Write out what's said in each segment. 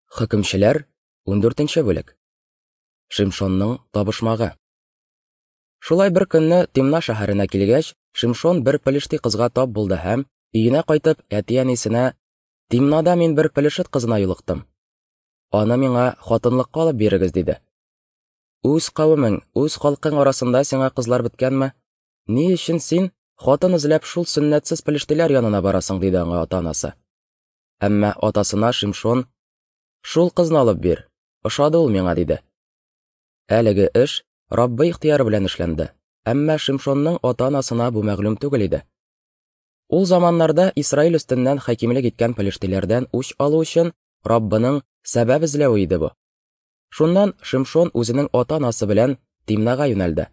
Хөкемчеләр, 14 бүлек. Шимшонның табышмагы. Шулай бер көнне Тимна шәһәренә килгәч, Шимшон бер пелешти кызга тап булды һәм, өенә кайтып, әти-әнисенә: "Тимнада мин бер пелешет кызына юлыктым. Аны миңа хатынлыкка алып бирегез", диде. Үз кавемең, үз халкың арасында сиңа кызлар беткәнме? Ни өчен син хатын эзләп шул сөннәтсез пелештиләр янына барасың, диде аңа ата-анасы. Әмма атасына Шимшон, Шул кызны алып бир, ошады ул миңа, диде. Әлеге эш Раббы ихтыяры белән эшләнде, әмма Шимшонның ата-анасына бу мәгълүм түгел иде. Ул заманнарда Исраил өстеннән хакимлек иткән пелештиләрдән үч алу өчен Раббының сәбәп эзләве иде бу. Шуннан Шимшон үзенең ата-анасы белән Тимнага юнәлде.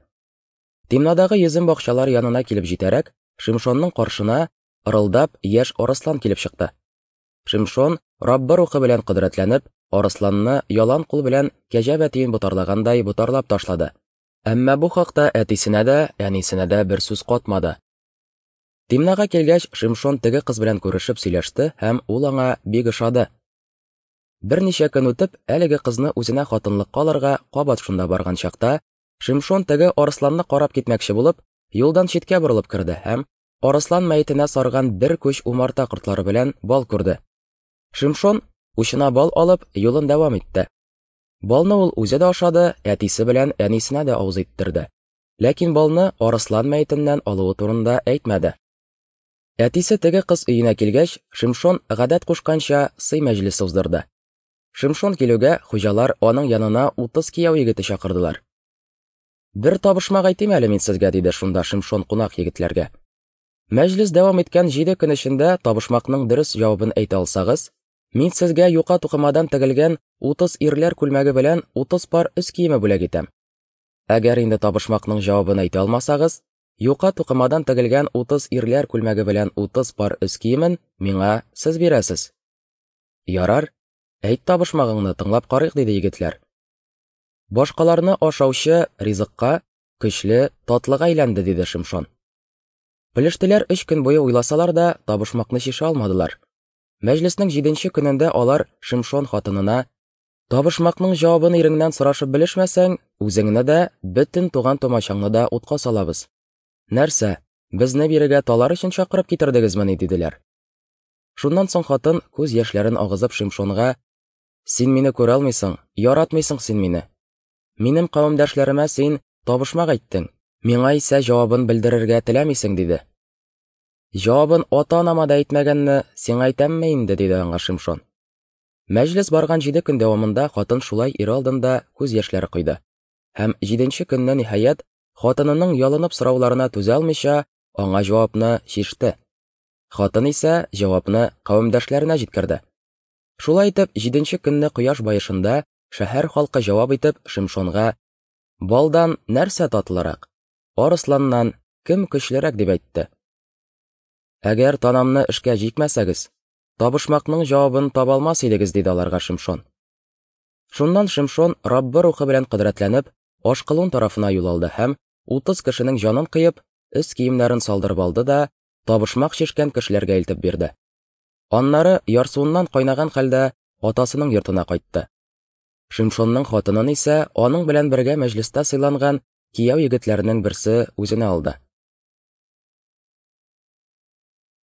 Тимнадагы йөзем бакчалары янына килеп җитәрәк, Шимшонның каршына ырылдап яшь арыслан килеп чыкты. Шимшон, Раббы рухы белән кодрәтләнеп, арысланны ялан кул белән кәҗә бәтиен ботарлагандай ботарлап ташлады. Әмма бу хакта әтисенә дә, әнисенә дә бер сүз катмады. Тимнага килгәч, Шимшон теге кыз белән күрешеп сөйләште һәм ул аңа бик ошады. Берничә көн үтеп, әлеге кызны үзенә хатынлыкка алырга кабат шунда барган чакта, Шимшон теге арысланны карап китмәкче булып, юлдан читкә борылып керде һәм арыслан мәетенә сарган бер күч умарта кортлары белән бал күрде. Шимшон, учына бал алып, юлын дәвам итте. Балны ул үзе дә ашады, әтисе белән әнисенә дә авыз иттерде. Ләкин балны арыслан мәетеннән алуы турында әйтмәде. Әтисе теге кыз өенә килгәч, Шимшон гадәт кушканча сый мәҗлесе уздырды. Шимшон килүгә, хуҗалар аның янына 30 кияү егете чакырдылар. Бер табышмак әйтим әле мин сезгә, диде шунда Шимшон кунак егетләргә. Мәҗлес дәвам иткән 7 көн эчендә табышмакның дөрес җавабын әйтә алсагыз, мин сезгә юка тукымадан тегелгән 30 ирләр күлмәге белән 30 пар өс киеме бүләк итәм. Әгәр инде табышмакның җавабын әйтә алмасагыз, юка тукымадан тегелгән 30 ирләр күлмәге белән 30 пар өс киемен миңа сез бирәсез. Ярар, әйт табышмагыңны, тыңлап карыйк, диде егетләр. Башкаларны ашаучы ризыкка, көчле, татлыга әйләнде, диде Шимшон. Пелештеләр өч көн буе уйласалар да, табышмакны чишә алмадылар. Мәҗлеснең җиденче көнендә алар Шимшон хатынына: "Табышмакның җавабын иреңнән сорашып белешмәсәң, үзеңне дә, бөтен туган-тумачаңны да утка салабыз. Нәрсә, безне бирегә талар өчен чакырып китердегезмени?" диделәр. Шуннан соң хатын күз яшьләрен агызып Шимшонга: Син мине күрә алмыйсың, яратмыйсың син мине. Минем кавемдәшләремә син табышмак әйттең, миңа исә җавабын белдерергә теләмисең, диде. Җавабын ата-анама да әйтмәгәнне сиңа әйтәмме инде, диде аңа Шимшон. Мәҗлес барган 7 көн дәвамында хатын шулай ире алдында күз яшьләре койды. Һәм 7 көнне ниһаять хатынының ялынып сорауларына түзә алмыйча, аңа җавапны чиште. Хатын исә җавапны кавемдәшләренә җиткерде. Шулай итеп, җиденче көнне кояш баешында шәһәр халкы җавап итеп Шимшонга: "Балдан нәрсә татлырак? Арысланнан кем көчлерәк?" дип әйтте. Әгәр танамны эшкә җикмәсәгез, табышмакның җавабын таба алмас идегез, диде аларга Шимшон. Шуннан Шимшон Раббы рухы белән кодрәтләнеп, Ашкалон тарафына юл алды һәм 30 кешенең җанын кыеп, өс киемнәрен салдырып алды да, табышмак чишкән кешеләргә илтеп бирде. Аннары ярсуыннан кайнаган хәлдә атасының йортына кайтты. Шимшонның хатынын исә аның белән бергә мәҗлестә сыйланган кияү егетләренең берсе үзенә алды.